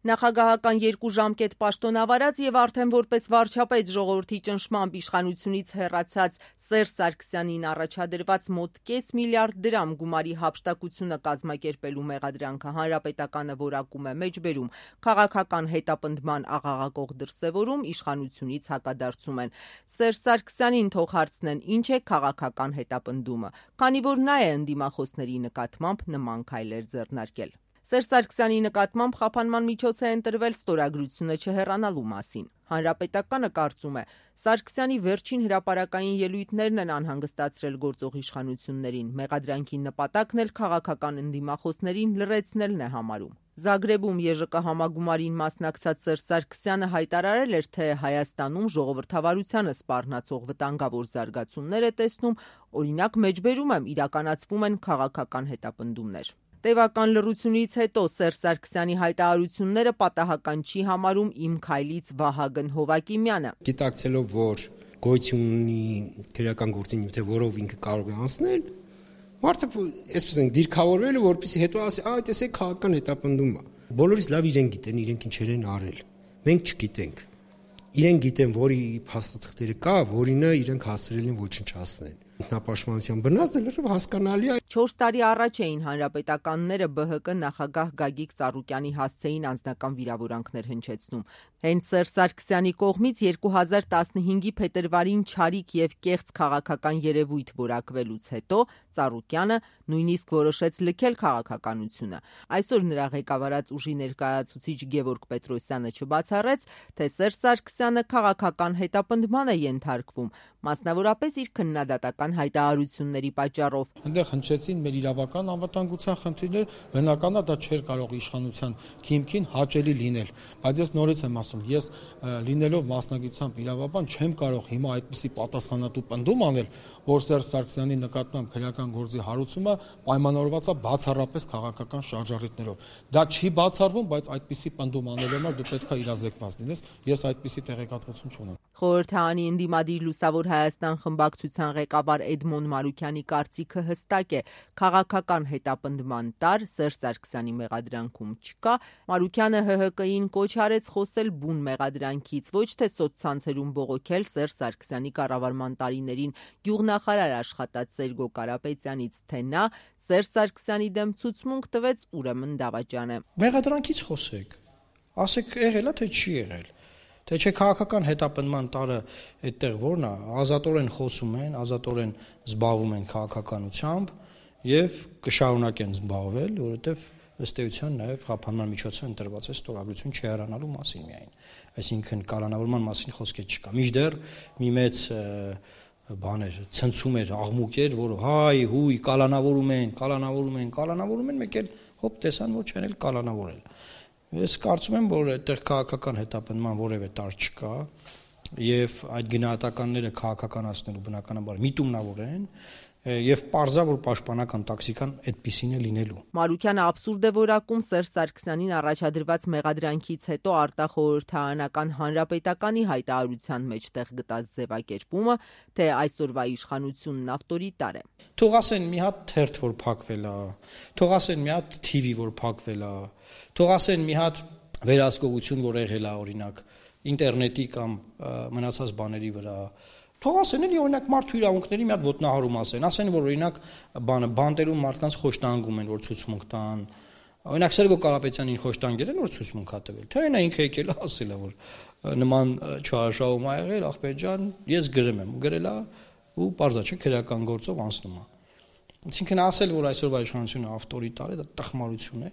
Նախագահական 2 ժամկետ պաշտոնավարած եւ արդեն որպես վարչապետ ժողովրդի ճնշմամբ իշխանությունից հեռացած Սերժ Սարգսյանին առաջադրված մոտ կես միլիարդ դրամ գումարի հափշտակությունը կազմակերպելու մեղադրանքը Հանրապետականը որակում է մեջբերում, քաղաքական հետապնդման աղաղակող դրսևորում իշխանությունից հակադարձում են։ Սերժ Սարգսյանին թող հարցնեն ինչ է քաղաքական հետապնդումը, քանի որ նա է ընդդիմախոսների նկատմամբ նման քայլեր ձեռնարկել։ Սերժ Սարգսյանի նկատմամբ խափանման միջոց է ընտրվել ստորագրությունը չհեռանալու մասին։ Հանրապետականը կարծում է, Սարգսյանի վերջին հրապարակային ելույթներն են անհանգստացրել գործող իշխանություններին, մեղադրանքի նպատակն էլ քաղաքական ընդդիմախոսներին լռեցնելն է համարում։ Զագրեբում ԵԺԿ համագումարին մասնակցած Սերժ Սարգսյանը հայտարարել էր, թե Հայաստանում ժողովրդավարությանը սպառնացող վտանգավոր զարգացումներ է տեսնում, օրինակ մեջբերում եմ իրականացվում են քաղաքական հետապնդումներ։ Տևական լռությունից հետո Սերժ Սարգսյանի հայտարարությունները պատահական չի համարում իմ քայլից Վահագն Հովակիմյանը։ Գիտակցելով, որ գոյություն ունի քրեական գործին նյութ, որով ինքը կարող է անցնել, մարդը այսպես են դիրքավորվել, որպեսզի հետո ասի, այ տեսեք քաղաքական հետապնդում է։ Բոլորից լավ իրեն գիտեն, իրենք ինչեր են արել։ Մենք չգիտենք։ Իրենք գիտեն, որի փաստաթղթերը կա, որինը իրենք հասցրել են ոչնչացնել։ Ինքնապաշտպանության բնածը լրիվ հասկանալի է։ 4 տարի առաջ էին հանրապետականները ԲՀԿ նախագահ Գագիկ Ծառուկյանի հասցեին անձնական վիրավորանքներ հնչեցնում։ Հենց Սերժ Սարգսյանի կողմից 2015-ի փետրվարին չարիք եւ կեղծ քաղաքական երևույթ որակվելուց հետո Ծառուկյանը նույնիսկ որոշեց լքել քաղաքականությունը։ Այսօր նրա ղեկավարած ուժի ներկայացուցիչ Գևորգ Պետրոսյանը չբացառեց, թե Սերժ Սարգսյանը քաղաքական հետապնդման է ենթարկվում, մասնավորապես իր քննադատական հայտարարությունների պատճառով։ Այնտեղ հնչեցին մեր իրավական անվտանգության խնդիրներ, բնական է դա չէր կարող իշխանության քիմքին հաճելի լինել, բայց ես նորից եմ ասում, ես լինելով մասնագիտությամբ իրավաբան չեմ կարող հիմա այդպիսի պատասխանատու պնդում անել, որ Սերժ Սարգսյանի նկատմամբ քրեական գործի հարուցումը պայմանավորված է բացառապես քաղաքական շարժառիթներով։ Դա չի բացառվում, բայց այդպիսի պնդում անելու համար դու պետք է իրազեկված լինես, ես այդպիսի տեղեկատվություն չունեմ։ Խորհրդարանի ընդդիմադիր Լուսավոր Հայաստան խմբակցության ղեկավար Էդմոն Մարուկյանի կարծիքը հստակ է, քաղաքական հետապնդման տար Սերժ Սարգսյանի մեղադրանքում չկա։ Մարուկյանը ՀՀԿ-ին կոչ արեց խոսել բուն մեղադրանքից, ոչ թե սոցցանցերում բողոքել Սերժ Սարգսյանի կառավարման տարիներին գյուղնախարար աշխատած Սերգո Կարապետյանից, թե նա Սերժ Սարգսյանի դեմ ցուցմունք տվեց, ուրեմն դավաճան է։ Մեղադրանքից խոսեք, ասեք եղել է, թե չի եղել։ Թե չէ քաղաքական հետապնդման տարը այդտեղ որն է, ազատորեն խոսում են, ազատորեն զբաղվում են քաղաքականությամբ եւ կշարունակեն զբաղվել, որովհետեւ ըստ էության նաեւ խափանման միջոցը ընտրված է ստորագրություն չհեռանալու մասին միայն։ Այսինքն կալանավորման մասին խոսքը չկա։ Մինչդեռ մի մեծ բաներ ցնցում էր, աղմուկ էր, որ հայ, հույ, կալանավորում են, մեկ էլ հոպ տեսան, որ չեն էլ կալանավորել։ Ես կարծում եմ, որ այդտեղ քաղաքական հետապնդման որևէ տար չկա եւ այդ գնահատականները քաղաքականացնելու բնականաբար միտումնավոր են եւ պարզա որ պաշտպանական տաքսիկան այդպիսին է լինելու։ Մարուկյանը աբսուրդ է որակում Սերժ Սարգսյանին առաջադրված մեղադրանքից հետո արտախորհրդարանական հանրապետականի հայտարարության մեջ տեղ գտած ձևակերպումը, թե այսօրվա իշխանությունն ավտորիտար է։ Թող ասեն մի հատ թերթ որ փակվել է, թող ասեն մի հատ TV որ փակվել է, թող ասեն մի հատ վերահսկողություն որ եղել է օրինակ ինտերնետի կամ մնացած բաների վրա։ Թող ասեն էլի օրինակ մարդու իրավունքների մի հատ ոտնահարում ասեն որ օրինակ բանտերում մարդկանց խոշտանգում են որ ցուցմունք տան։ Օրինակ Սերգո Կարապետյանին խոշտանգել են որ ցուցմունք հա տվել։ Թե նա ինքը եկել է ասել է որ նման չարաշահում ա եղել ախպեր ջան, ես գրեմ եմ, գրել է ու պարզա չէ քրեական գործով անցնում է։ Այսինքն ասել որ այսօրվա իշխանությունը ավտորիտար է, դա տխմարություն է։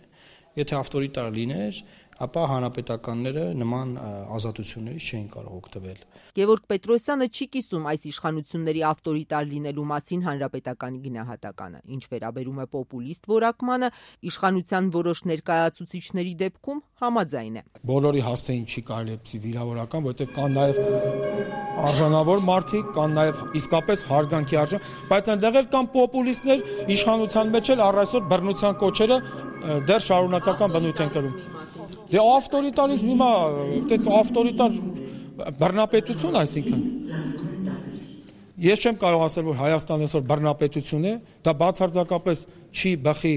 Եթե ավտորիտար լիներ, ապա հանրապետականները նման ազատություններից չէին կարող օգտվել։ Գևորգ Պետրոսյանը չի կիսում այս իշխանությունների ավտորիտար լինելու մասին հանրապետականի գնահատականը։ Ինչ վերաբերում է պոպուլիստ որակմանը, իշխանության որոշ ներկայացուցիչների դեպքում համաձայն է։ Բոլորի հասցեին չի կարելի այդպիսի վիրավորական, որովհետև կան նաև արժանավոր մարդիկ, կան նաև իսկապես հարգանքի արժան, բայց այնտեղ էլ կան պոպուլիստներ, իշխանության մեջ էլ առ այսօր բռնության կոչերը դեռ շարունակական բնույթ են կրում։ Դե ավտորիտարիզմ հիմա, այդպես ավտորիտար բռնապետություն, այսինքն Ես չեմ կարող ասել, որ Հայաստանն այսօր բռնապետություն է, դա բացարձակապես չի բխի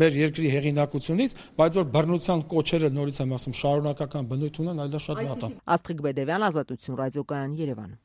մեր երկրի հեղինակությունից, բայց որ բռնության կոչերը նորից եմ ասում շարունակական բնույթ ունեն, այլ դա շատ վատ է։ Աստղիկ Բեդևյան, Ազատություն ռադիոկայան, Երևան։